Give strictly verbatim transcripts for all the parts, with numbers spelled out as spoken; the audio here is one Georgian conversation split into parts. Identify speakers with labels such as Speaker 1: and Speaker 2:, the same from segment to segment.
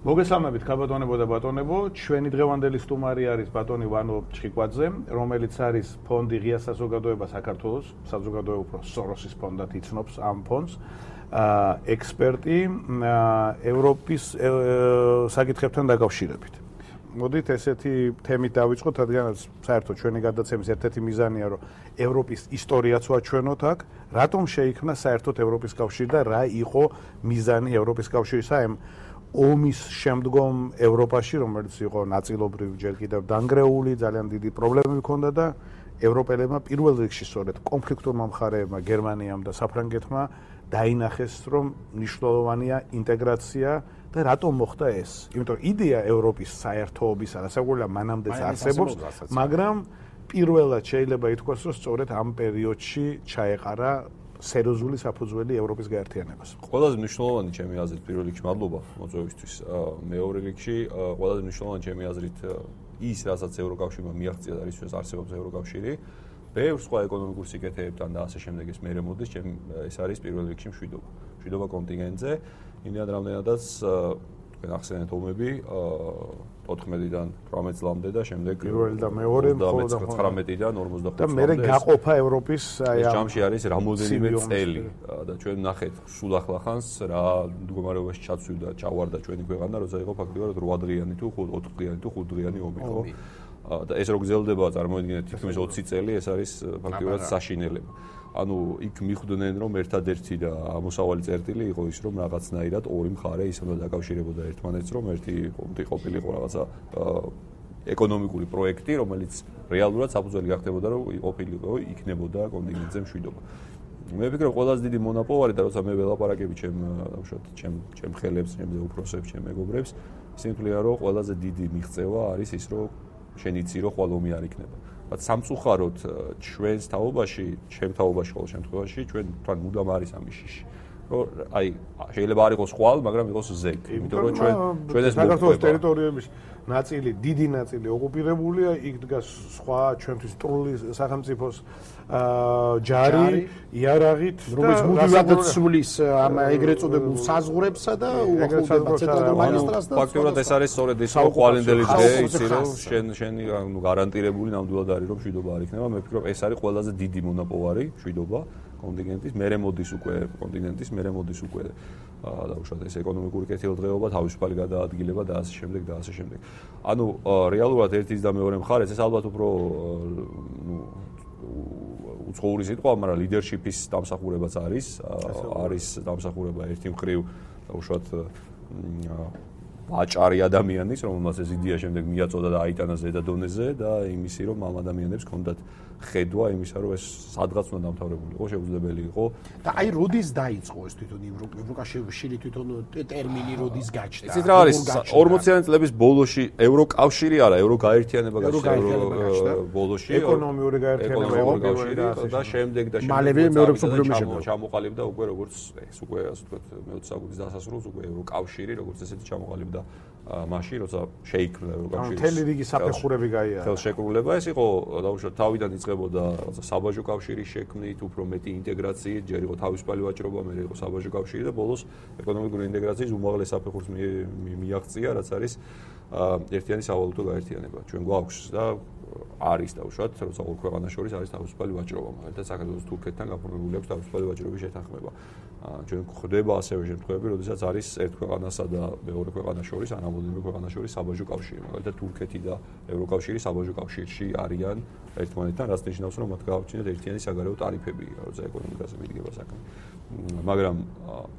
Speaker 1: მოგესალმებით ქალბატონებო და ბატონებო, ჩვენი დღევანდელი სტუმარი არის ბატონი ვანო ჩხიკვაძე, რომელიც არის ფონდი ღია საზოგადოება საქართველოს, საზოგადოება უფრო სოროსის ფონდად იცნობს ამ ფონდს, ექსპერტი ევროპის საკითხებთან დაკავშირებით. მოდით ესეთი თემით დავიწყოთ, რადგანაც საერთოდ ჩვენი გადაცემის ერთ-ერთი მიზანია, რომ ევროპის ისტორიაც ვაჩვენოთ აქ, რატომ შეიქმნა საერთოდ ევროპის კავშირი და რა იყო მიზანი ევროპის კავშირისა ამ ომის შემდგომ ევროპაში, რომელიც იყო ნაწილობრივ ჯერ კიდევ დანგრეული, ძალიან დიდი პრობლემები ჰქონდა და ევროპელებმა პირველ რიგში სწორედ კონფლიქტურმა მხარეებმა, გერმანიამ და საფრანგეთმა დაინახეს, რომ მნიშვნელოვანია ინტეგრაცია და რატომ მოხდა ეს? იმიტომ რომ იდეა ევროპის საერთოობისა, რასაკვირველია მანამდეც არსებობს, მაგრამ პირველად შეიძლება ითქვას, რომ სწორედ ამ პერიოდში ჩაეყარა სერიოზული საფუძველი ევროპის გაერთიანებას.
Speaker 2: ყველაზე მნიშვნელოვანი ჩემი აზრით პირველ რიგში მადლობა მოწვევისთვის. მეორე რიგში ყველაზე მნიშვნელოვანი ჩემი აზრით ის, რასაც ევროკავშირმა მიაღწია და რისთვისაც არსებობს ევროკავშირი, ბევრ სხვა ეკონომიკურ სიკეთეებთან და ასე შემდეგ ეს მერე მოდის, ჩემ ეს არის პირველ რიგში მშვიდობა. მშვიდობა კონტინენტზე, იმდენად რამდენადაც თქვენ ახსენეთ ომები ოთხმეტიდან თვრამეტ წლამდე და შემდეგ
Speaker 1: პირველი და მეორე
Speaker 2: ცხრამეტიდან ორმოცდახუთ
Speaker 1: და მერე გაყოფა ევროპის
Speaker 2: აი ამ ჯამში არის რამოდენიმე წელი და ჩვენ ნახეთ სულ ახლახანს რა მდგომარეობაში ჩაცვიდა ჩავარდა ჩვენი ქვეყანა, როცა იყო ფაქტობრივად რვა დღიანი თუ ოთხ დღიანი თუ ხუთ დღიანი ომი, ხო? და ეს რო გრძელდება, წარმოიდგინეთ თითქმის ოცი წელი, ეს არის ფაქტობრივად საშინელება. ანუ იქ მიხვდნენ, რომ ერთადერთი და ამოსავალი წერტილი იყო ის, რომ რაღაცნაირად ორი მხარე ისე დაკავშირებოდა ერთმანეთს, რომ ერთი ყოფილიყო რაღაცა ეკონომიკური პროექტი, რომელიც რეალურად საფუძველი გახდებოდა, რომ ყოფილიყო იქნებოდა კონტინენტზე მშვიდობა. მე ვფიქრობ, ყველაზე დიდი მონაპოვარი და როცა მე ველაპარაკები ჩემ უშუალოდ ჩემ ჩემ ხელებს, ჩემზე უფროსებს, ჩემ მეგობრებს, ისინი თვლიან, რომ ყველაზე დიდი მიღწევა არის ის, რომ შენ იცი, რომ ხვალ ომი არ იქნება. բայց სამწუხაროდ ჩვენს თაობაში, ჩემ თაობაში ყოველ შემთხვევაში ჩვენ თან მუდამ არის ამის შიში. რომ აი შეიძლება არ იყოს ხვალ, მაგრამ იყოს ზეგ. იმიტომ რომ ჩვენ ჩვენ ეს
Speaker 1: საქართველოს ტერიტორიების ნაწილი, დიდი ნაწილი ოკუპირებულია, იქ დგას სხვა ჩვენთვის სტრული სახელმწიფოს ჯარი, იარაღით,
Speaker 3: რომელიც მუდმივად ცვლის ამ ეგრეთ წოდებულ საზღვრებსა და უახლოვდება ცენტრალურ მაგისტრალს და
Speaker 2: ფაქტობრივად ეს არის სწორედ ის ხვალინდელი დღე, იცი რომ შენ შენი ანუ გარანტირებული ნამდვილად არის რომ მშვიდობა არ იქნება. მე ვფიქრობ ეს არის ყველაზე დიდი მონაპოვარი მშვიდობა კონტინენტის, მერე მოდის უკვე კონტინენტის, მერე მოდის უკვე დაუშვათ ეს ეკონომიკური კეთილდღეობა, თავისუფალი გადაადგილება და ასე შემდეგ და ასე შემდეგ. ანუ რეალურად ერთის და მეორე მხარეს ეს ალბათ უფრო ნუ უცხოური სიტყვა, მაგრამ ლიდერშიპის დამსახურებაც არის, არის დამსახურება ერთი მხრივ დაუშვათ ვაჭარი ადამიანის, რომელმაც ეს იდეა შემდეგ მიაწოდა და აიტანა ზედა დონეზე და იმისი რომ ამ ადამიანებს ჰქონდათ ხედვა იმისა, რომ ეს სადღაც უნდა დამთავრებული იყო, შეუძლებელი იყო.
Speaker 3: და აი როდის დაიწყო ეს თვითონ ევროკავშირი თვითონ ტერმინი როდის გაჩნდა?
Speaker 2: იცით რა არის? ორმოციანი წლების ბოლოში ევროკავშირი არა, ევროგაერთიანება გაჩნდა ბოლოში.
Speaker 1: ეკონომიური გაერთიანება
Speaker 2: და შემდეგ და შემდეგ
Speaker 3: მალევე მეორე მსოფლიო ომი შემდგომ
Speaker 2: ჩამოყალიბდა უკვე როგორც ეს უკვე ასე ვთქვათ მეოცე საუკუნის დასასრულს უკვე ევროკავშირი როგორც ესეთი ჩამოყალიბდა მაშინ როცა შეიქმნა ევროკავშირი.
Speaker 1: მთელი რიგი საფეხურები გაიარა.
Speaker 2: ხელშეკრულება ეს იყო დაუშვათ თავიდან იწყებოდა რაღაცა საბაჟო კავშირის შექმნით, უფრო მეტი ინტეგრაციით, ჯერ იყო თავისუფალი ვაჭრობა, მერე იყო საბაჟო კავშირი და ბოლოს ეკონომიკური ინტეგრაციის უმაღლეს საფეხურს მიაღწია, რაც არის ერთიანი სავალუტო გაერთიანება. ჩვენ გვაქვს და არის დაუშვათ, როცა ორ ქვეყანას შორის არის თავისუფალი ვაჭრობა, მაგალითად საქართველოს თურქეთთან გაფორმებული აქვს თავისუფალი ვაჭრობის შეთანხმება. ჩვენ გვხვდება ასევე შემთხვევები, როდესაც არის ერთ ქვეყანასა და მეორე ქვეყანას შორის, ან რამოდენიმე ქვეყანას შორის საბაჟო კავშირი, მაგალითად თურქეთი და ევროკავშირი საბაჟო კავშირში არიან ერთმანეთთან, რაც ნიშნავს, რომ მათ გააჩნიათ ერთიანი საგარეო ტარიფები, როცა ეკონომიკაზე მიდგება საქმე. მაგრამ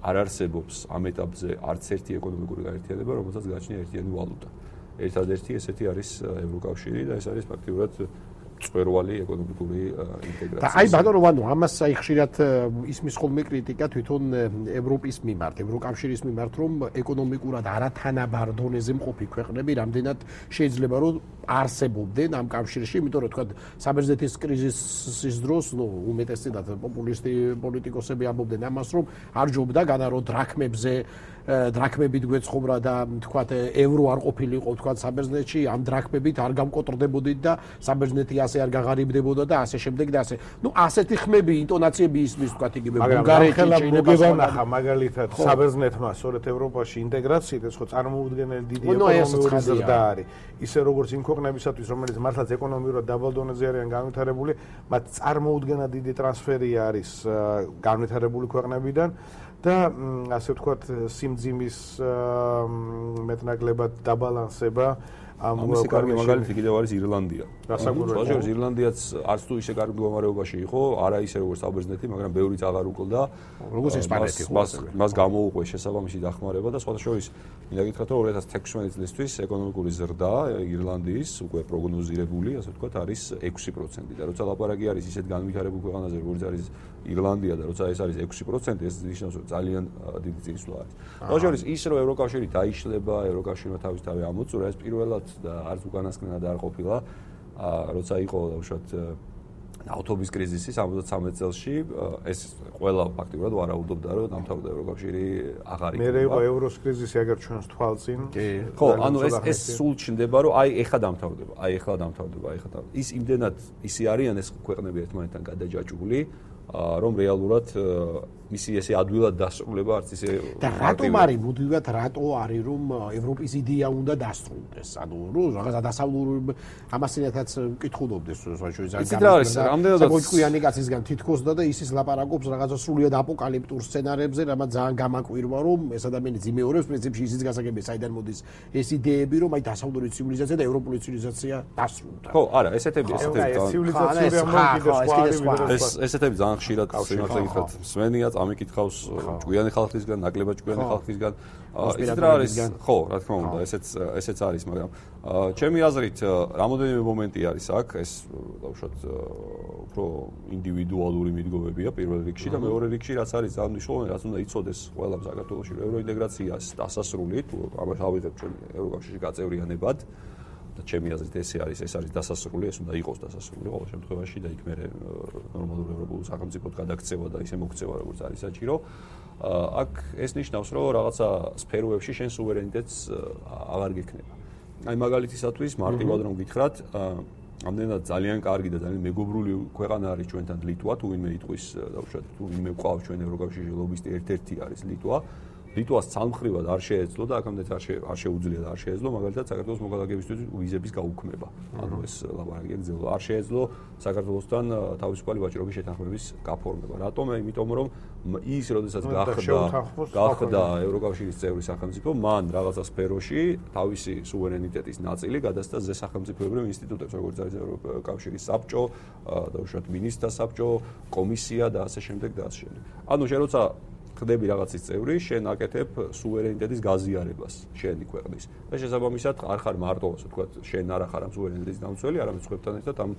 Speaker 2: არ არსებობს ამ ეტაპზე არც ერთი ეკონომიკური გაერთიანება, რომელსაც გააჩნია ერთიანი ვალუტა. ერთადერთი ესეთი არის ევროკავშირი და ეს არის ფაქტიურად წვერვალი ეკონომიკური ინტეგრაციის.
Speaker 3: და აი ბატონო ვანო, ამას აი ხშირად ისმის ხოლმე კრიტიკა თვითონ ევროპის მიმართ, ევროკავშირის მიმართ, რომ ეკონომიკურად არათანაბარ დონეზე მყოფი ქვეყნები რამდენად შეიძლება რომ არსებობდნენ ამ კავშირში, იმიტომ რომ თქვა საბერძნეთის კრიზისის დროს, ნუ უმეტესწილად პოპულისტი პოლიტიკოსები ამბობდნენ ამას, რომ არ ჯობდა განარო დრაქმებზე დრაქმებით გვეცხოვრა და თქვა ევრო არ ყოფილიყო თქვა საბერძნეთში, ამ დრაქმებით არ გამკოტრდებოდით და საბერძნეთი ასე არ გაღარიბდებოდა და ასე შემდეგ და ასე. ნუ ასეთი ხმები, ინტონაციები ისმის თქვა იგივე
Speaker 1: ბულგარეთი შეიძლება შენახა მაგალითად საბერძნეთმა სწორედ ევროპაში ინტეგრაციით ეს ხო წარმოუდგენელი დიდი ეკონომიკური ზრდა არის. ისე როგორც იმ ქვეყნებისათვის, რომელიც მართლაც ეკონომიურად დაბალ დონეზე არიან განვითარებული, მათ წარმოუდგენად დიდი ტრანსფერი არის განვითარებული ქვეყნებიდან და ასე ვთქვათ სიმძიმის მეტნაკლებად დაბალანსება
Speaker 2: ამის კარგი მაგალითი კიდევ არის ირლანდია.
Speaker 1: გასაგებია
Speaker 2: ირლანდიაც არც თუ ისე კარგ მდგომარეობაში იყო, არა ისე როგორც საბერძნეთი, მაგრამ ბევრიც აღარ უკლდა.
Speaker 3: როგორც ესპანეთი ხო?
Speaker 2: მას გამოუყვეს შესაბამისი დახმარება და სხვათა შორის მინდა გითხრათ, რომ ორი ათას თექვსმეტი წლისთვის ეკონომიკური ზრდა ირლანდიის უკვე პროგნოზირებული, ასე ვთქვათ, არის ექვსი პროცენტი და როცა ლაპარაკი არის ისეთ განვითარებულ ქვეყანაზე, როგორც არის ირლანდია და როცა ეს არის ექვსი პროცენტი, ეს ნიშნავს, რომ ძალიან დიდი წინსვლა არის. სხვათა შორის ის რომ ევროკავშირი დაიშლება, ევროკავშირმა თავისთავად ამოწურა, ეს პირველად და არც უკანასკნელად არ ყოფილა, როცა იყო უშუალოდ ავტობის კრიზისი სამოცდამეტ წელში, ეს ყველა ფაქტიურად ვარაუდობდა, რომ დამთავრდა ევროკავშირი აღარ იქნება.
Speaker 1: მე იყო ევროს კრიზისი, აგერ ჩვენს თვალწინ.
Speaker 2: ხო, ანუ ეს ეს სულ ჩნდება, რომ აი ეხლა დამთავრდება, აი ეხლა დამთავრდება, აი ეხლა. ის იმდენად ისე არიან ეს ქვეყნები ერთმანეთთან გადაჯაჭვული, რომ რეალურად მისი ესე ადვილად დასრულება არც ისე
Speaker 3: და რატომ არის მუდმივად რატო არის რომ ევროპის იდეა უნდა დასრულდეს ანუ რომ რაღაცა დასავლური ამასინათაც მკითხულობდეს შეიძლება გამოჩკვიანი კაცისგან თითქოსდა და ისის ლაპარაკობს რაღაცა სრულიად აპოკალიფტურ სცენარებზე რამაც ძალიან გამაკვირვა რომ ეს ადამიანი იმეორებს პრინციპში ისიც გასაგებია საიდან მოდის ეს იდეები რომ აი დასავლური ცივილიზაცია და ევროპული ცივილიზაცია დასრულდა
Speaker 2: ხო არა ესეთები ესეთები ეს ესეთები ძალიან ხშირად სიმართლე გითხრათ სვენია ამიკითხავს ჭკვიანი ხალხისგან, ნაკლებად ჭკვიანი ხალხისგან. ისიც რა არის? ხო, რა თქმა უნდა, ესეც ესეც არის, მაგრამ ჩემი აზრით, რამოდენიმე მომენტი არის აქ, ეს უშუალოდ უფრო ინდივიდუალური მიდგომებია პირველ რიგში და მეორე რიგში რაც არის ძალიან მნიშვნელოვანი, რაც უნდა იცოდეს ყველა საქართველოში ევროინტეგრაციას დასასრული, თუ ამას ავიღებ ჩვენ ევროკავშირში გაწევრიანებად. და ჩემი აზრით ესე არის, ეს არის დასასრული, ეს უნდა იყოს დასასრული ყოველ შემთხვევაში და იქ მე ნორმალურ ევროპულ სახელმწიფოდ გადაქცევა და ისე მოქცევა როგორც არის საჭირო. აქ ეს ნიშნავს, რომ რაღაცა სფეროებში შენ სუვერენიტეტს აღარ გექნება. აი მაგალითისათვის მარტივად რომ გითხრათ, ამდენად ძალიან კარგი და ძალიან მეგობრული ქვეყანა არის ჩვენთან ლიტვა, თუ ვინმე იტყვის დაუშვათ, თუ ვინმე ყავს ჩვენ ევროკავშირში ლობისტი ერთ-ერთი არის ლიტვა. ლიტვას ცალმხრივად არ შეეძლო და აქამდე არ არ შეუძლია და არ შეეძლო მაგალითად საქართველოს მოგალაგებისთვის ვიზების გაუქმება. ანუ ეს ლაპარაკი ეგ არ შეეძლო საქართველოსთან თავისუფალი ვაჭრობის შეთანხმების გაფორმება. რატომ? იმიტომ რომ ის როდესაც გახდა გახდა ევროკავშირის წევრი სახელმწიფო, მან რაღაცა სფეროში თავისი სუვერენიტეტის ნაწილი გადასცა ზე სახელმწიფოებრივ ინსტიტუტებს, როგორც არის ევროკავშირის საბჭო, დაუშვათ მინისტრთა საბჭო, კომისია და ასე შემდეგ და ასე შემდეგ. ანუ შენ როცა ხდები რაღაცის წევრი, შენ აკეთებ სუვერენიტეტის გაზიარებას შენი ქვეყნის. და შესაბამისად არ ხარ მარტო, ასე ვთქვათ, შენ არ ხარ ამ სუვერენიტეტის დამცველი, არამედ სხვებთან ერთად ამ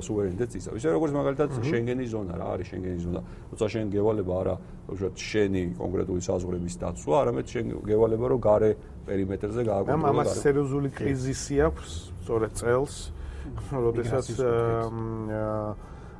Speaker 2: სუვერენიტეტს იცავ. ისე როგორც მაგალითად შენგენის ზონა რა არის შენგენის ზონა. როცა შენ გევალება არა, უშუალოდ შენი კონკრეტული საზღვრების დაცვა, არამედ შენ გევალება რომ გარე პერიმეტრზე გააკონტროლო.
Speaker 1: ამას სერიოზული კრიზისი აქვს, სწორედ წელს, როდესაც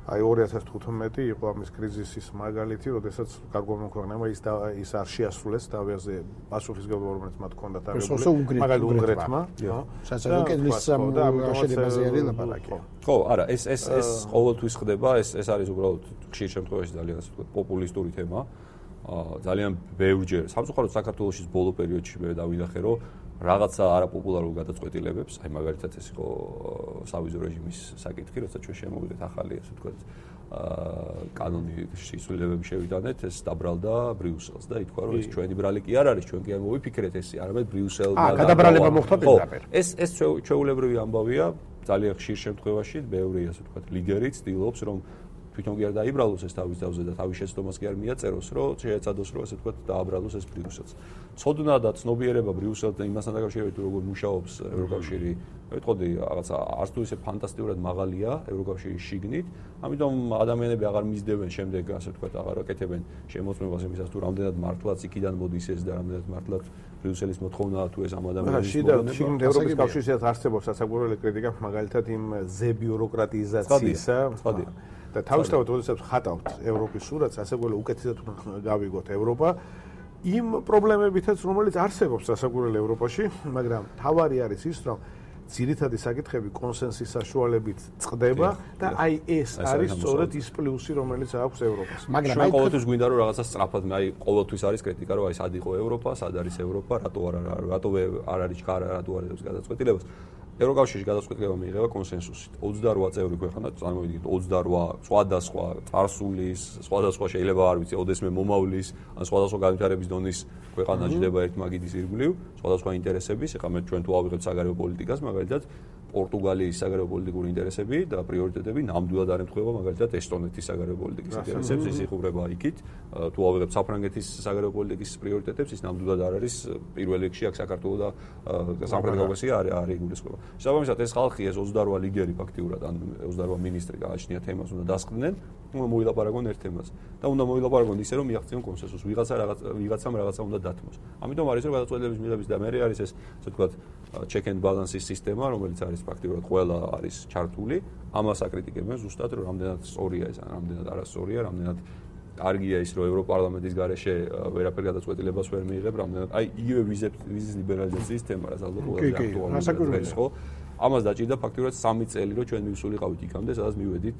Speaker 1: აი ორი ათას თხუთმეტი იყო ამის კრიზისის მაგალითი, როდესაც გარკვეულმა ქვეყნებმა ის ის არ შეასრულეს თავზე პასუხისმგებლობა, რომელიც მათ ჰქონდათ აღებული, მაგალითად უნგრეთმა, ხო?
Speaker 3: საერთოდ კედლის შედებაზე არის ლაპარაკი.
Speaker 2: ხო, არა, ეს ეს ეს ყოველთვის ხდება, ეს ეს არის უბრალოდ ხშირ შემთხვევაში ძალიან ასე ვთქვათ, პოპულისტური თემა. ძალიან ბევრჯერ, სამწუხაროდ საქართველოსის ბოლო პერიოდში მე დავინახე, რომ რაღაცა არაპოპულარულ გადაწყვეტილებებს, აი მაგალითად ეს იყო სავიზო რეჟიმის საკითხი, როცა ჩვენ შემოვიდეთ ახალი, ასე ვთქვათ, კანონი შესრულებები შევიტანეთ, ეს დაბრალდა ბრიუსელს და ითქვა, რომ ეს ჩვენი ბრალი კი არ არის, ჩვენ კი არ მოვიფიქრეთ ესე, არამედ ბრიუსელმა
Speaker 3: და გადაბრალება მოხდა პირდაპირ.
Speaker 2: ეს ეს ჩვეულებრივი ამბავია, ძალიან ხშირ შემთხვევაში, ბევრი ასე ვთქვათ, ლიდერი ცდილობს, რომ თვითონ კი არ დაიბრალოს ეს თავის თავზე და თავის შეცდომას კი არ მიაწეროს, რომ შეეცადოს, რომ ასე ვთქვათ, დააბრალოს ეს ბრიუსელს. ცოდნა და ცნობიერება ბრიუსელს და იმასთან დაკავშირებით, როგორ მუშაობს ევროკავშირი, ვიტყოდი, რაღაცა არც თუ ისე ფანტასტიკურად მაღალია ევროკავშირის შიგნით, ამიტომ ადამიანები აღარ მისდევენ შემდეგ, ასე ვთქვათ, აღარ აკეთებენ შემოწმებას იმისას, თუ რამდენად მართლაც იქიდან მოდის ეს და რამდენად მართლაც ბრიუსელის მოთხოვნაა თუ ეს ამ ადამიანის
Speaker 1: მოთხოვნაა. შიგნით ევროპის კავშირშიც არსებობს სასაგურებელი კრიტიკა, მაგალითად იმ ზე ბიუროკრატიზაციისა. და თავისთავად როდესაც ხატავთ ევროპის სურათს, ასაკურელი უკეთესად გავიგოთ ევროპა იმ პრობლემებითაც, რომელიც არსებობს ასაკურელ ევროპაში, მაგრამ თავარი არის ის, რომ ძირითადი საკითხები კონსენსის საშუალებით წყდება და აი ეს არის სწორედ ის პლუსი, რომელიც აქვს ევროპას.
Speaker 2: მაგრამ აი ყოველთვის გვინდა რომ რაღაცა სწრაფად, აი ყოველთვის არის კრიტიკა, რომ აი სად იყო ევროპა, სად არის ევროპა, რატო არ რატო არ არის ჩქარა, რატო არ არის გადაწყვეტილებას. ევროკავშირში გადაწყვეტილება მიიღება კონსენსუსით. ოცდარვა წევრი ქვეყანა, წარმოვიდგინეთ ოცდარვა სხვადასხვა წარსულის, სხვადასხვა შეიძლება არ ვიცი, ოდესმე მომავლის, ან სხვადასხვა განვითარების დონის ქვეყანა ჯდება ერთ მაგიდის ირგვლივ, სხვადასხვა ინტერესების, ეხლა მე ჩვენ თუ ავიღებთ საგარეო პოლიტიკას, მაგალითად პორტუგალიის საგარეო პოლიტიკური ინტერესები და პრიორიტეტები ნამდვილად არ ემთხვევა მაგალითად ესტონეთის საგარეო პოლიტიკის ინტერესებს, ის იხუბრება იქით. თუ ავიღებთ საფრანგეთის საგარეო პოლიტიკის პრიორიტეტებს, ის ნამდვილად არ არის პირველ რიგში აქ საქართველოს და სამხრეთ კავკასია არ არ იგულისხმება. შესაბამისად ეს ხალხი ეს ოცდარვა ლიდერი ფაქტიურად ან ოცდარვა მინისტრი გააჩნია თემას უნდა დასყდნენ, უნდა მოილაპარაკონ ერთ თემაზე და უნდა მოილაპარაკონ ისე რომ მიაღწიონ კონსენსუსს. ვიღაცა რაღაც ვიღაცამ რაღაცა უნდა დათმოს. ამიტომ არის რომ გადაწყვეტილების მიღების და მე არის ეს ასე ვთქვათ check and balance-ის სისტემა, რომელიც არის ფაქტიურად ყველა არის ჩართული. ამას აკრიტიკებენ ზუსტად რომ რამდენად სწორია ეს, რამდენად არასწორია, რამდენად კარგია ის რომ ევროპარლამენტის გარეშე ვერაფერ გადაწყვეტილებას ვერ მიიღებ, რამდენად აი იგივე ვიზის ლიბერალიზაციის თემა რაც ალბათ ყველაზე აქტუალურია ხო? ამას დაჭირდა ფაქტიურად სამი წელი რომ ჩვენ მივსულიყავით იქამდე, სადაც მივედით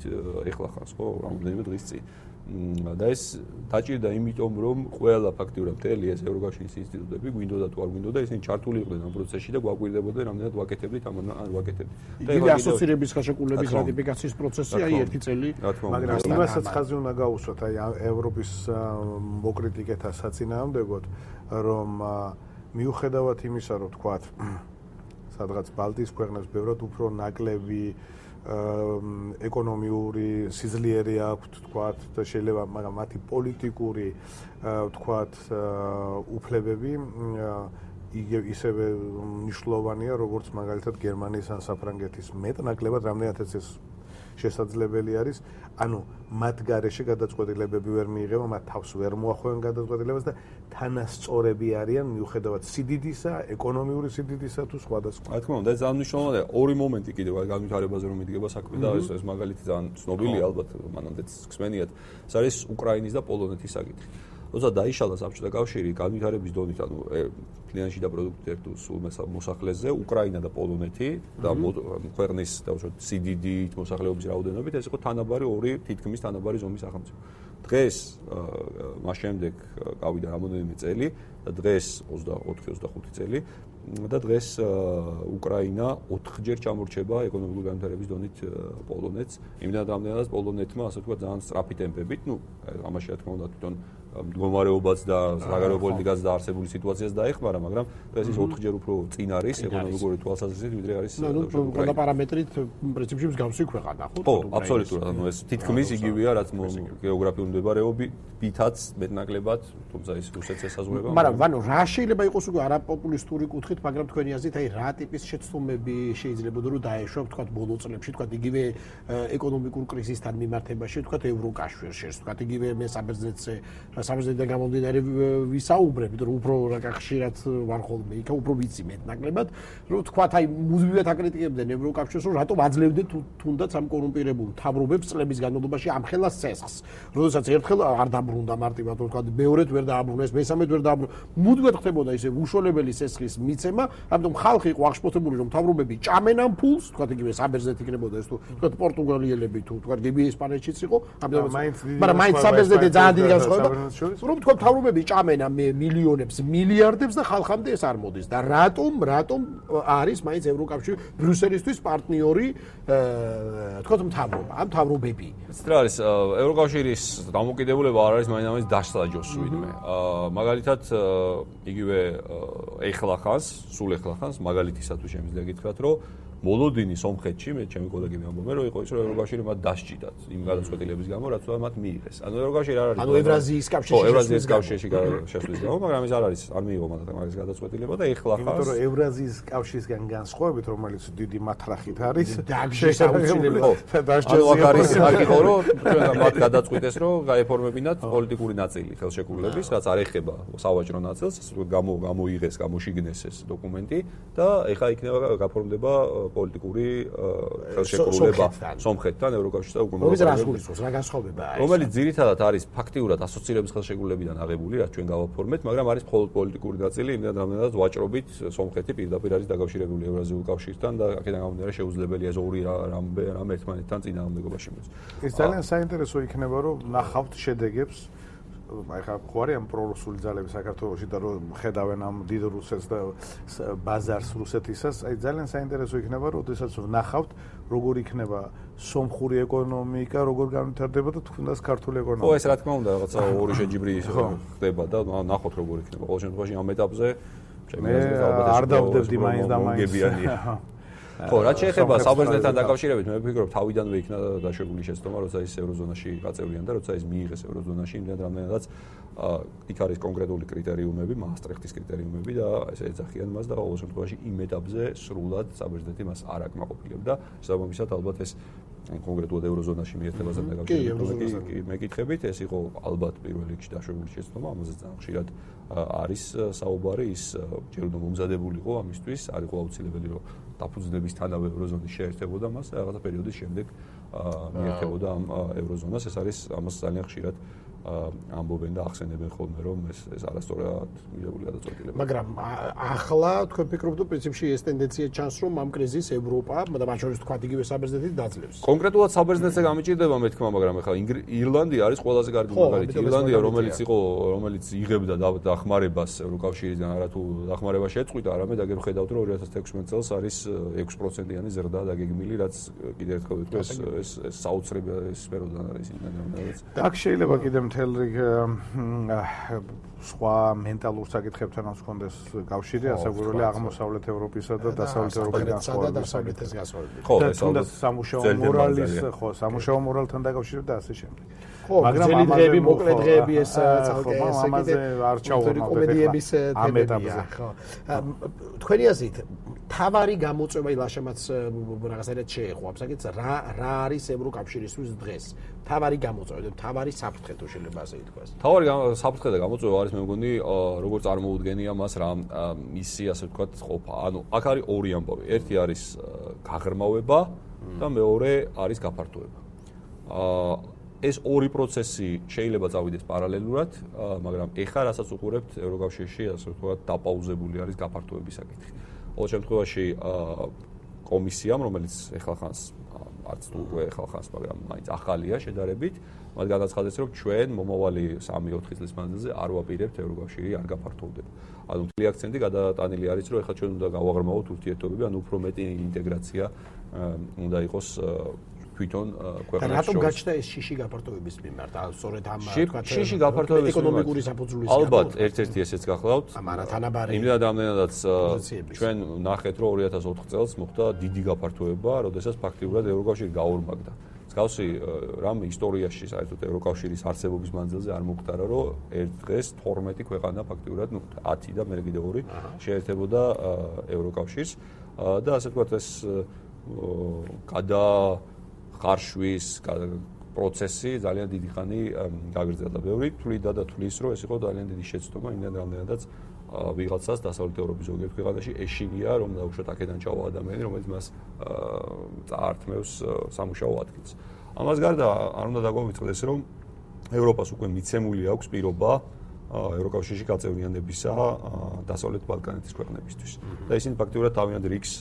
Speaker 2: ეხლა ხანს ხო, რამდენიმე დღის წინ. და ეს დაჭირდა იმიტომ რომ ყველა ფაქტიურად მთელი ეს ევროკავშირის ინსტიტუტები გვინდოდა თუ არ გვინდოდა ისინი ჩართული იყვნენ ამ პროცესში და გვაკვირდებოდნენ რამდენად ვაკეთებდით ამ ან ვაკეთებდით.
Speaker 3: და იგი ასოცირების ხელშეკრულების რატიფიკაციის პროცესი აი ერთი წელი,
Speaker 1: მაგრამ იმასაც ხაზი უნდა გაუსვათ აი ევროპის მოკრიტიკეთა საწინააღმდეგოდ რომ მიუხედავად იმისა რომ თქვათ სადღაც ბალტიის ქვეყნებს ბევრად უფრო ნაკლები ეკონომიური სიძლიერე აქვთ თქვათ და შეიძლება მაგრამ მათი პოლიტიკური თქვათ უფლებები ისევე მნიშვნელოვანია როგორც მაგალითად გერმანიის ან საფრანგეთის მეტნაკლებად რამდენადაც ეს შესაძლებელი არის ანუ მათ გარეშე გადაწყვეტილებები ვერ მიიღება მათ თავს ვერ მოახვევენ გადაწყვეტილებას და თანასწორები არიან მიუხედავად სიდიდისა, ეკონომიური სიდიდისა თუ სხვადასხვა.
Speaker 2: რა თქმა უნდა, ეს ძალიან მნიშვნელოვანია. ორი მომენტი კიდევ განვითარებაზე რომ მიდგება საქმე და ეს ეს მაგალითი ძალიან ცნობილია ალბათ მანამდეც გსმენიათ. ეს არის უკრაინის და პოლონეთის საკითხი. როცა დაიშალა საბჭოთა კავშირი განვითარების დონით, ანუ კლიანში და პროდუქტერ სულ მოსახლეზე, უკრაინა და პოლონეთი და ქვეყნის დაუშვათ სიდიდით, მოსახლეობის რაოდენობით, ეს იყო თანაბარი ორი თითქმის თანაბარი ზომის სახელმწიფო. დღეს მას შემდეგ გავიდა რამოდენიმე წელი და დღეს ოცდაოთხი ოცდახუთი წელი და დღეს უკრაინა ოთხჯერ ჩამორჩება ეკონომიკური განვითარების დონით პოლონეთს. იმდენად რამდენადაც პოლონეთმა ასე ვთქვათ ძალიან სწრაფი ტემპებით, ну, ამაში რა თქმა უნდა თვითონ მდგომარეობაც და საგარეო პოლიტიკაც და არსებული სიტუაციას დაეხმარა, მაგრამ დღეს ის ოთხჯერ უფრო წინ არის ეკონომიკური თვალსაზრისით, ვიდრე არის
Speaker 3: უკრაინა. ყველა პარამეტრით პრინციპში მსგავსი ქვეყანა, ხო?
Speaker 2: ხო, აბსოლუტურად, ანუ ეს თითქმის იგივეა, რაც გეოგრაფიული მდებარეობითაც მეტნაკლებად, თუმცა ის რუსეთს ესაზღვრება.
Speaker 3: მაგრამ ვანო, რა შეიძლება იყოს უკვე არაპოპულისტური კუთხით, მაგრამ თქვენი აზრით, აი რა ტიპის შეცდომები შეიძლებოდა რომ დაეშვა, თქვათ, ბოლო წლებში, თქვათ, იგივე ეკონომიკურ კრიზისთან მიმართებაში, თქვათ, ევროკავშირში, თქვათ, იგივე მე საბერძნეთზე საბერძნეთიდან გამომდინარე ვისაუბრებით, რომ უფრო რა ხშირად ვარ ხოლმე იქა, უფრო ვიცი მეტნაკლებად, რომ თქვათ, აი მუდმივად აკრიტიკებდნენ ევროკავშირს, რომ რატომ აძლევდნენ თუნდაც ამ კორუმპირებულ მთავრობებს წლების განმავლობაში ამხელა ცესხს. როდესაც ერთხელ არ დაბრუნდა მარტივად, თქვათ, მეორედ ვერ დააბრუნეს, მესამედ ვერ დააბრუნეს. მუდმივად ხდებოდა ისე უშუალებელი ცესხის მიცემა, ამიტომ ხალხი იყო აღშფოთებული, რომ მთავრობები ჭამენ ამ ფულს, თქვათ, იგივე საბერძნეთი იქნებოდა ეს თუ თქვათ პორტუგალიელები თუ თქვათ გები ესპანეთშიც იყო, ამიტომ მაგრამ მაინც საბერძნეთი ძალიან დიდი განსხვავება რომ თქვა მთავრობები ჭამენ ამ მილიონებს, მილიარდებს და ხალხამდე ეს არ მოდის და რატომ, რატომ არის მაინც ევროკავშირი ბრიუსელისთვის პარტნიორი თქვა მთავრობა, ამ მთავრობები.
Speaker 2: ეს რა არის ევროკავშირის დამოკიდებულება არ არის მაინც დასაჯოს ვინმე. მაგალითად იგივე ეხლა ხანს, სულ ეხლა ხანს მაგალითისათვის შემიძლია გითხრათ, რომ მოლოდინი სომხეთში მე ჩემი კოლეგები ამბობენ რომ იყო ის რომ ევროკავშირი მათ დასჭიდათ იმ გადაწყვეტილების გამო რაც მათ მიიღეს. ანუ ევროკავშირი არ არის
Speaker 3: ანუ ევრაზიის კავშირში
Speaker 2: ხო ევრაზიის კავშირში შესვლის გამო, მაგრამ ეს არ არის არ მიიღო მათ მაგის გადაწყვეტილება და ეხლა ხანს
Speaker 1: იმიტომ რომ ევრაზიის კავშირისგან განსხვავებით რომელიც დიდი მათრახით არის
Speaker 3: შესაძლებელი
Speaker 2: დასჯელია არის აქ იყო რომ ჩვენ მათ გადაწყვიტეს რომ გაეფორმებინათ პოლიტიკური ნაწილი ხელშეკრულების რაც არ ეხება სავაჭრო ნაწილს გამო გამოიღეს გამოშიგნეს ეს დოკუმენტი და ეხლა იქნება გაფორმდება პოლიტიკური ხელშეკრულება სომხეთთან ევროკავშირსა და უკრაინასთან.
Speaker 3: რომელიც რას გულისხმობს, რა განსხვავებაა ეს?
Speaker 2: რომელიც ძირითადად არის ფაქტიურად ასოცირების ხელშეკრულებიდან აღებული, რაც ჩვენ გავაფორმეთ, მაგრამ არის მხოლოდ პოლიტიკური ნაწილი, იმდენ რამდენადაც ვაჭრობით სომხეთი პირდაპირ არის დაკავშირებული ევრაზიულ კავშირთან და აქედან გამომდინარე შეუძლებელია ეს ორი რამე რამ ერთმანეთთან წინააღმდეგობაში მოეწ.
Speaker 1: ეს ძალიან საინტერესო იქნება, რომ ნახავთ შედეგებს აი ხა ხო არის ამ პრორუსული ძალები საქართველოში და რომ ხედავენ ამ დიდ რუსეთს და ბაზარს რუსეთისას, აი ძალიან საინტერესო იქნება, როდესაც ვნახავთ როგორ იქნება სომხური ეკონომიკა, როგორ განვითარდება და თუნდაც ქართული ეკონომიკა.
Speaker 2: ხო, ეს რა თქმა უნდა, რაღაცა ორი შეჯიბრი ხდება და ნახოთ როგორ იქნება. ყოველ შემთხვევაში ამ ეტაპზე
Speaker 1: მე არ დავდებდი მაინც და მაინც.
Speaker 2: ხო, რაც შეეხება საბერძნეთთან დაკავშირებით, მე ვფიქრობ, თავიდანვე იქნა დაშვებული შეცდომა, როცა ის ევროზონაში გაწევრიან და როცა ის მიიღეს ევროზონაში, იმდენ რამდენადაც იქ არის კონკრეტული კრიტერიუმები, მაასტრიხტის კრიტერიუმები და ესე ეძახიან მას და ყოველ შემთხვევაში იმ ეტაპზე სრულად საბერძნეთი მას არ აკმაყოფილებდა. შესაბამისად, ალბათ ეს კონკრეტულად ევროზონაში მიერთებასთან დაკავშირებით მეკითხებით, ეს იყო ალბათ პირველ რიგში დაშვებული შეცდომა, ამაზე ძალიან ხშირად არის საუბარი, ის ჯერ უნდა მომზადებულიყო ამისთვის, არ იყო აუცილებელი, რომ დაფუძნებისთანავე ევროზონის შეერთებოდა მას და რაღაცა პერიოდის შემდეგ მიერთებოდა ამ ევროზონას. ეს არის ამას ძალიან ხშირად ამბობენ და ახსენებენ ხოლმე, რომ ეს ეს არასწორად მიღებული გადაწყვეტილება.
Speaker 3: მაგრამ ახლა თქვენ ფიქრობთ, რომ პრინციპში ეს ტენდენცია ჩანს, რომ ამ კრიზისს ევროპა და მათ შორის თქვა იგივე საბერძნეთი დაძლევს.
Speaker 2: კონკრეტულად საბერძნეთზე გამიჭირდება მე თქმა, მაგრამ ახლა ირლანდია არის ყველაზე კარგი მაგალითი. ირლანდია, რომელიც იყო, რომელიც იღებდა დახმარებას ევროკავშირიდან, არა თუ დახმარება შეწყვიტა, არამედ აგერ ხედავთ, რომ ორი ათას თექვსმეტ წელს არის ექვსი პროცენტიანი ზრდა დაგეგმილი, რაც კიდევ ერთხელ ვიტყვი, ეს ეს საოცრება სფეროდან არის იმდენად.
Speaker 1: აქ შეიძლება კიდე მთელ რიგ სხვა მენტალურ საკითხებთანაც ჰქონდეს კავშირი, ასაგვირელი აღმოსავლეთ ევროპისა და დასავლეთ ევროპის
Speaker 3: განსხვავებით.
Speaker 2: ხო, ეს
Speaker 1: თუნდაც სამუშაო მორალის, ხო, სამუშაო მორალთან დაკავშირებით და ასე შემდეგ.
Speaker 3: ხო, მაგრამ დღეები, მოკლე დღეები ეს
Speaker 1: ცალკე ესე ამაზე არ ჩავარდნოთ
Speaker 3: კომედიების თემებია, ხო. თქვენი აზრით, თავარი გამოწვევა ილაშემაც რაღაცა შეეხო ამ საკითხს, რა რა არის ევროკავშირისთვის დღეს? თავარი გამოწვევა და თავარი საფრთხე თუ შეიძლება ასე ითქვას.
Speaker 2: თავარი საფრთხე და გამოწვევა არის მე მგონი, როგორ წარმოუდგენია მას რა მისი ასე ვთქვათ ყოფა. ანუ აქ არის ორი ამბავი. ერთი არის გაღრმავება და მეორე არის გაფართოება. აა ეს ორი პროცესი შეიძლება წავიდეს პარალელურად, მაგრამ ეხლა რასაც უყურებთ ევროკავშირში, ასე ვთქვათ, დაპაუზებული არის გაფართოების საკითხი. ყოველ შემთხვევაში კომისიამ, რომელიც ეხლა ხანს არც თუ უკვე ეხლა ხანს, მაგრამ მაინც ახალია შედარებით, მათ განაცხადეს, რომ ჩვენ მომავალი სამი ოთხი წლის მანძილზე არ ვაპირებთ ევროკავშირი არ გაფართოვდება. ანუ მთელი აქცენტი გადატანილი არის, რომ ეხლა ჩვენ უნდა გავაღრმავოთ ურთიერთობები, ანუ უფრო მეტი ინტეგრაცია უნდა იყოს თვითონ ქვეყნებში.
Speaker 3: რატომ გაჩნდა ეს შიში გაფართოების მიმართ? ანუ სწორედ ამ
Speaker 2: თქვათ შიში გაფართოების
Speaker 3: ეკონომიკური საფუძვლის
Speaker 2: ალბათ ერთ-ერთი ესეც გახლავთ.
Speaker 3: ამარა თანაბარი.
Speaker 2: იმდენად ამდენადაც ჩვენ ნახეთ, რომ ორი ათას ოთხ წელს მოხდა დიდი გაფართოება, როდესაც ფაქტიურად ევროკავშირი გაორმაგდა. მსგავსი რამ ისტორიაში საერთოდ ევროკავშირის არსებობის მანძილზე არ მოხდარა, რომ ერთ დღეს თორმეტი ქვეყანა ფაქტიურად, ну ათი და მე კიდე ორი შეერთებოდა ევროკავშირს და ასე ვთქვათ ეს გადა ხარშვის პროცესი ძალიან დიდი ხანი გაგრძელდა. ბევრი თვლიდა და თვლის, რომ ეს იყო ძალიან დიდი შეცდომა, იმდენ რამდენადაც ვიღაცას დასავლეთ ევროპის ზოგიერთ ქვეყანაში ეშინია, რომ დაუშვათ აქედან ჩავა ადამიანი, რომელიც მას წაართმევს სამუშაო ადგილს. ამას გარდა არ უნდა დაგვავიწყდეს, რომ ევროპას უკვე მიცემული აქვს პირობა ევროკავშირში გაწევრიანებისა დასავლეთ ბალკანეთის ქვეყნებისთვის. და ისინი ფაქტიურად თავიანთ რიგს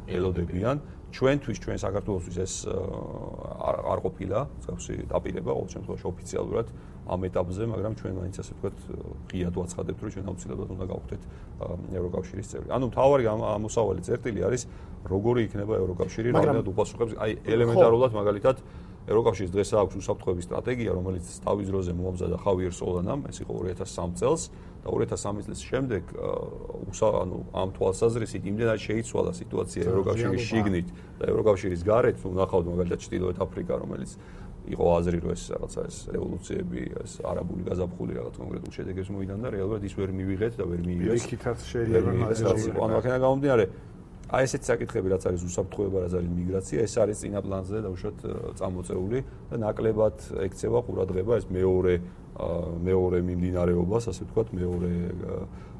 Speaker 2: ელოდებიან. ჩვენთვის, ჩვენ საქართველოსთვის ეს არ ყოფილა, მსგავსი დაპირება, ყოველ შემთხვევაში ოფიციალურად ამ ეტაპზე, მაგრამ ჩვენ მაინც ასე ვთქვათ, ღიად ვაცხადებთ, რომ ჩვენ აუცილებლად უნდა გავხდეთ ევროკავშირის წევრი. ანუ მთავარი ამოსავალი წერტილი არის, როგორი იქნება ევროკავშირი, რამდენად უპასუხებს, აი ელემენტარულად მაგალითად ევროკავშირის დღეს აქვს უსაფრთხოების სტრატეგია, რომელიც თავის დროზე მოამზადა ხავიერ სოლანამ, ეს იყო ორი ათას სამი წელს და ორი ათას სამი წლის შემდეგ ანუ ამ თვალსაზრისით იმდენად შეიცვალა სიტუაცია ევროკავშირის შიგნით და ევროკავშირის გარეთ, თუ ნახავთ მაგალითად ჩრდილოეთ აფრიკა, რომელიც იყო აზრი, რომ ეს რაღაცა ეს რევოლუციები, ეს არაბული გაზაფხული რაღაც კონკრეტულ შედეგებს მოიტანდა, რეალურად ის ვერ მივიღეთ და ვერ მიიღეს.
Speaker 1: იქითაც შეიძლება
Speaker 2: ანუ აქედან გამომდინარე აი ესეთი საკითხები, რაც არის უსაფრთხოება, რაც არის მიგრაცია, ეს არის წინა პლანზე დაუშვათ წამოწეული და ნაკლებად ექცევა ყურადღება ეს მეორე მეორე მიმდინარეობას, ასე ვთქვათ, მეორე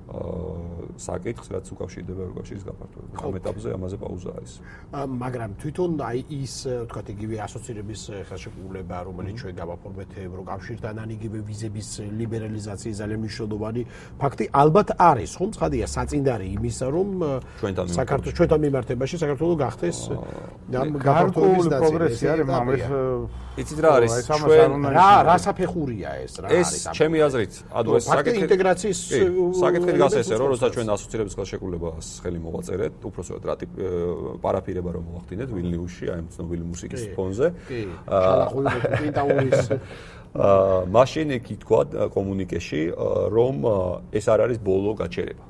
Speaker 2: საკითხს, რაც უკავშირდება ევროკავშირის გაფართოებას. ამ ეტაპზე ამაზე პაუზა არის.
Speaker 3: მაგრამ თვითონ აი ის თქვათ იგივე ასოცირების ხელშეკრულება, რომელიც ჩვენ გავაფორმეთ ევროკავშირთან, ან იგივე ვიზების ლიბერალიზაციის ძალიან მნიშვნელოვანი ფაქტი ალბათ არის, ხომ? ცხადია, საწინდარი იმისა, რომ საქართველოს ჩვენთან მიმართებაში საქართველოს გახდეს ამ გაფართოების ნაწილი.
Speaker 1: პროგრესი არის, მაგრამ
Speaker 2: იცით რა არის? ჩვენ
Speaker 3: რა რა საფეხურია ეს რა არის?
Speaker 2: ეს ჩემი აზრით, ანუ ეს
Speaker 3: საკითხი ინტეგრაციის
Speaker 2: საკითხი გას ესე რომ როცა ჩვენ ასოცირების ხელშეკრულებას ხელი მოვაწერეთ, უпроსოდ რატი პარაფირება რომ მოახდინეთ ვილნიუსში, აი ამ ცნობილი მუსიკის ფონზე.
Speaker 3: კი, შალახული პინტაურის
Speaker 2: აა მაშინ იქ ითქვა კომუნიკეში, რომ ეს არ არის ბოლო გაჩერება.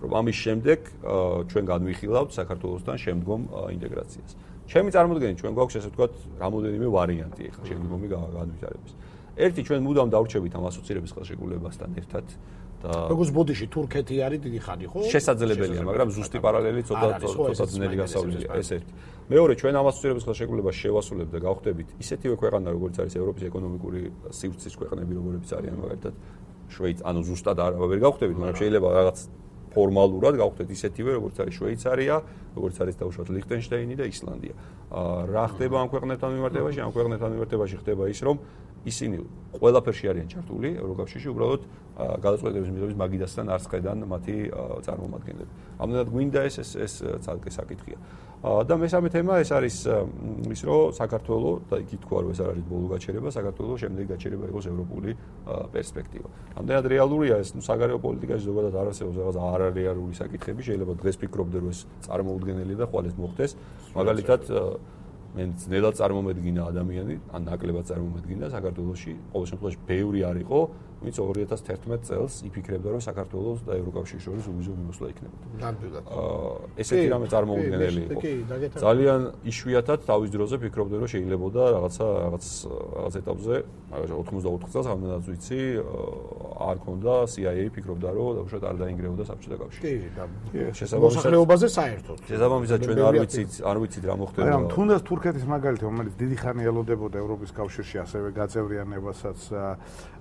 Speaker 2: რომ ამის შემდეგ ჩვენ განვიხილავთ საქართველოსთან შემდგომ ინტეგრაციას. ჩემი წარმოდგენით ჩვენ გვაქვს ესე ვთქვათ რამოდენიმე ვარიანტი ახლა შემდგომი განვითარების. ერთი ჩვენ მუდამ დავრჩებით ამ ასოცირების ხელშეკრულებასთან ერთად და
Speaker 3: როგორც ბოდიში თურქეთი არის დიდი ხანი, ხო?
Speaker 2: შესაძლებელია, მაგრამ ზუსტი პარალელი ცოტა ცოტა ძნელი გასავლელია, ეს ერთი. მეორე, ჩვენ ამ ასოცირების ხელშეკრულებას შევასრულებთ და გავხდებით ისეთივე ქვეყანა, როგორც არის ევროპის ეკონომიკური სივრცის ქვეყნები, როგორიც არიან მაგალითად შვეიცი, ანუ ზუსტად არ ვერ გავხდებით, მაგრამ შეიძლება რაღაც ფორმალურად გავხდეთ ისეთივე, როგორც არის შვეიცარია, როგორც არის დაუშვათ ლიხტენშტაინი და ისლანდია. რა ხდება ამ ქვეყნებთან მიმართებაში? ამ ქვეყნებთან მიმართებაში ხდება ის, რომ ისინი ყველაფერში არიან ჩართული ევროკავშირში, უბრალოდ გადაწყვეტილების მიღების მაგიდასთან არ წხედან მათი წარმომადგენლები. ამდენად გვინდა ეს ეს ეს ცალკე საკითხია. და მესამე თემა ეს არის ის, რომ საქართველოს და იქ ითქვა, რომ ეს არ არის ბოლო გაჩერება, საქართველოს შემდეგი გაჩერება იყოს ევროპული პერსპექტივა. ამდენად რეალურია ეს, საგარეო პოლიტიკაში ზოგადად არ არსებობს რაღაც არარეალური საკითხები, შეიძლება დღეს ფიქრობდე, რომ ეს წარმოუდგენელია და ხვალ ეს მოხდეს. მაგალითად მე ძნელად წარმომედგინა ადამიანი, ან ნაკლებად წარმომედგინა საქართველოში, ყოველ შემთხვევაში ბევრი არ იყო, ვინც ორი ათას თერთმეტ წელს იფიქრებდა, რომ საქართველოს და ევროკავშირის შორის უვიზო მიმოსვლა იქნებოდა.
Speaker 3: ნამდვილად.
Speaker 2: აა ესეთი რამე წარმოუდგენელი იყო. ძალიან იშვიათად თავის დროზე ფიქრობდნენ, რომ შეიძლებოდა რაღაცა რაღაც რაღაც ეტაპზე, მაგალითად ოთხმოცდაოთხ წელს ამდენად ვიცი, არ ქონდა C I A ფიქრობდა, რომ დაუშვათ არ დაინგრეოდა საბჭოთა კავშირი.
Speaker 3: კი, და მოსახლეობაზე საერთოდ.
Speaker 2: შესაბამისად ჩვენ არ ვიცით, არ ვიცით რა მოხდება.
Speaker 1: მაგრამ თუნდაც თურქეთის მაგალითი, რომელიც დიდი ხანი ელოდებოდა ევროპის კავშირში, ასევე გაწევრიანებასაც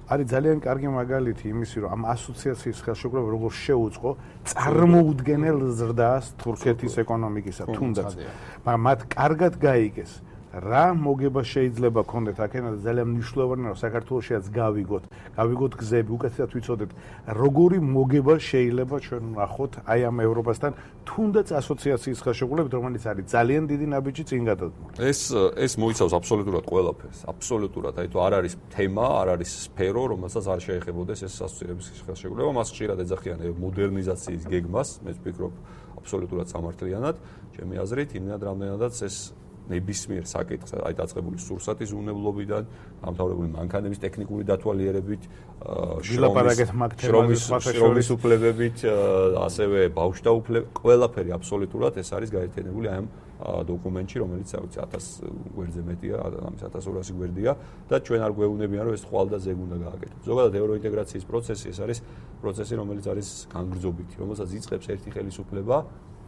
Speaker 1: არის ძალიან კარგი მაგალითი იმისი, რომ ამ ასოციაციის ხელშეკრულება როგორ შეუწყო წარმოუდგენელ ზრდას თურქეთის ეკონომიკისა, თუნდაც. მაგრამ მათ კარგად გაიგეს რა მოგება შეიძლება ქონდეთ აქედან ძალიან მნიშვნელოვანია რომ საქართველოშიაც გავიგოთ, გავიგოთ გზები, უკეთესად ვიცოდეთ როგორი მოგება შეიძლება ჩვენ ვნახოთ აი ამ ევროპასთან თუნდაც ასოციაციის ხელშეკრულებით, რომელიც არის ძალიან დიდი ნაბიჯი წინ გადადგმული.
Speaker 2: ეს ეს მოიცავს აბსოლუტურად ყველაფერს, აბსოლუტურად, აი თუ არ არის თემა, არ არის სფერო, რომელსაც არ შეეხებოდეს ეს ასოციაციის ხელშეკრულება, მას ხშირად ეძახიან მოდერნიზაციის გეგმას, მე ვფიქრობ აბსოლუტურად სამართლიანად, ჩემი აზრით, იმდენად რამდენადაც ეს ნებისმიერ საკითხს, აი დაწყებული სურსათის უნებლობიდან, დამთავრებული მანქანების ტექნიკური დათვალიერებით, შრომის უფლებებით, ასევე ბავშვთა უფლებებით, ყველაფერი აბსოლუტურად ეს არის გაერთიანებული აი ამ დოკუმენტში, რომელიც აუცი ათას გვერდზე მეტია, ამის ათას ორასი გვერდია და ჩვენ არ გვეუბნებიან, რომ ეს ხვალ და ზეგ უნდა გააკეთოს. ზოგადად ევროინტეგრაციის პროცესი ეს არის პროცესი, რომელიც არის განგრძობითი, რომელსაც იწყებს ერთი ხელისუფლება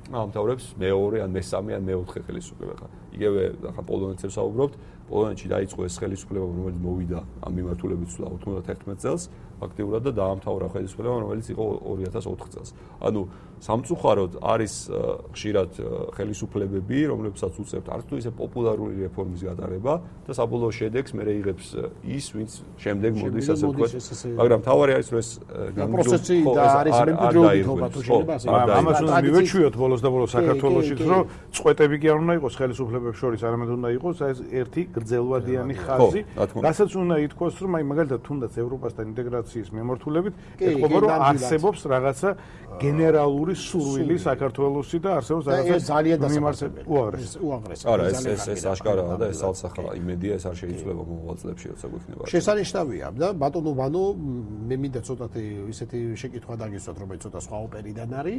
Speaker 2: ამთავრებს მეორე ან მესამე ან მეოთხე ხელისუფლება. იგივე ახლა პოლონეთს ვსაუბრობთ, პოლონეთში დაიწყო ეს ხელისუფლება, რომელიც მოვიდა ამ მიმართულებით სულ ოცდაათი წელს, ფაქტიურად და დაამთავრა ხელისუფლება, რომელიც იყო ორი ათას ოთხ წელს. ანუ სამწუხაროდ არის ხშირად ხელისუფლებები, რომლებსაც უწევთ არც თუ ისე პოპულარული რეფორმის გატარება და საბოლოო შედეგს მე იღებს ის, ვინც შემდეგ მოდის ასე ვთქვათ, მაგრამ თავარი არის რომ ეს
Speaker 3: პროცესი და არის მემკვიდრეობითობა თუ შეიძლება ასე.
Speaker 1: ამას უნდა მივეჩვიოთ ბოლოს და ბოლოს საქართველოშიც, რომ წვეტები კი არ უნდა იყოს ხელისუფლებებს შორის, არამედ უნდა იყოს ეს ერთი გრძელვადიანი ხაზი, რასაც უნდა ითქვას, რომ აი მაგალითად თუნდაც ევროპასთან ინტეგრაციის მიმართულებით ეთქობა, რომ არსებობს რაღაცა გენერალური სურვილი საქართველოსი და არსებობს რაღაცა
Speaker 3: ძალიან დასამართებელი
Speaker 1: უაღრესი.
Speaker 3: უაღრესი.
Speaker 2: არა, ეს ეს ეს აშკარაა და ეს ალსახა იმედია, ეს არ შეიძლება მომავალ წლებში როცა გვექნება.
Speaker 3: შესანიშნავია და ბატონო ვანო, მე მინდა ცოტათი ისეთი შეკითხვა დაგისვათ, რომელიც ცოტა სხვა ოპერიდან არის,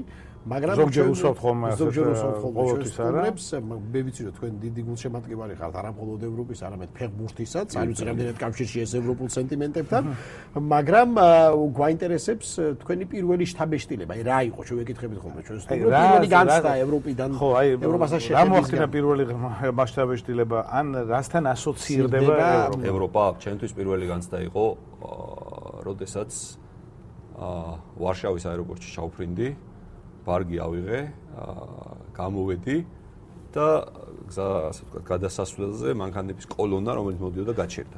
Speaker 3: მაგრამ
Speaker 1: ზოგჯერ უსვამთ ხოლმე ასე
Speaker 3: ყოველთვის არა. მე ვიცი რომ თქვენ დიდი გულშემატკივარი ხართ არა მხოლოდ ევროპის, არამედ ფეხბურთისაც, არ ვიცი რამდენად კავშირში ეს ევროპულ სენტიმენტებთან, მაგრამ გვაინტერესებს თქვენი პირველი შთაბეჭდილება, აი რა იყო, ჩვენ ვეკითხებით ხოლმე ჩვენ სტუდიო პირველი განცდა ევროპიდან,
Speaker 1: ხო, აი
Speaker 3: ევროპასთან
Speaker 1: შეხედვით. რა მოახდინა პირველი მასშტაბეჭდილება, ან რასთან ასოცირდება
Speaker 2: ევროპა? ჩემთვის პირველი განცდა იყო, როდესაც აა ვარშავის აეროპორტში ჩავფრინდი, ბარგი ავიღე, აა გამოვედი და გზა, ასე ვთქვათ, გადასასვლელზე მანქანების კოლონა, რომელიც მოდიოდა, გაჩერდა.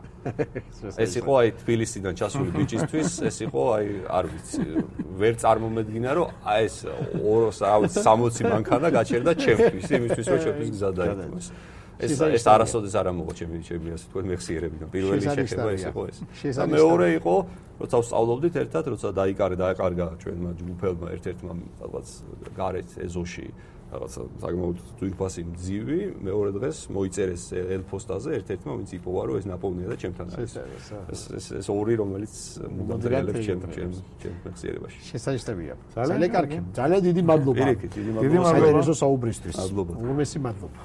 Speaker 2: ეს იყო აი თბილისიდან ჩასული ბიჭისთვის, ეს იყო აი არ ვიცი, ვერ წარმომედგინა, რომ აი ეს სამოცი მანქანა გაჩერდა ჩემთვის, იმისთვის რომ ჩემთვის გზა დაიწყოს. ეს ეს არასოდეს არ ამოღო ჩემი ჩემი ასე თქვენ მეხსიერებიდან. პირველი შეხება ეს იყო ეს. და მეორე იყო, როცა ვსწავლობდით ერთად, როცა დაიკარე დააკარგა ჩვენმა ჯგუფელმა ერთ-ერთმა რაღაც გარეთ ეზოში რაღაცა საკმაოდ ძვირფასი მძივი, მეორე დღეს მოიწერეს ელფოსტაზე ერთ-ერთმა, ვინც იპოვა, რომ ეს ნაპოვნია და ჩემთან არის. ეს ეს ეს ორი, რომელიც მომდევნელებს ჩემ ჩემ ჩემ მეხსიერებაში.
Speaker 3: შესაძლებელია. ძალიან კარგი. ძალიან დიდი მადლობა.
Speaker 2: დიდი მადლობა.
Speaker 3: საინტერესო საუბრისთვის.
Speaker 2: მადლობა.
Speaker 3: უმეტესი მადლობა.